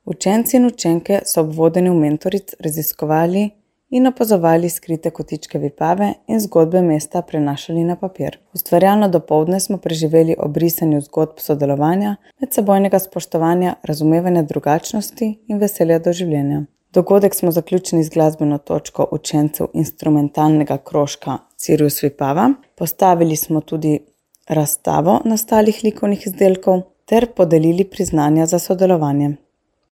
Učenci in učenke so ob vodenju mentoric raziskovali in opazovali skrite kotičke Vipave in zgodbe mesta prenašali na papir. Ustvarjalno dopoldne smo preživeli ob risanju zgodb sodelovanja, medsebojnega spoštovanja, razumevanja drugačnosti in veselja do življenja. Dogodek smo zaključili z glasbeno točko učencev instrumentalnega krožka Cirus Vipava. Postavili smo tudi razstavo nastalih likovnih izdelkov ter podelili priznanja za sodelovanje.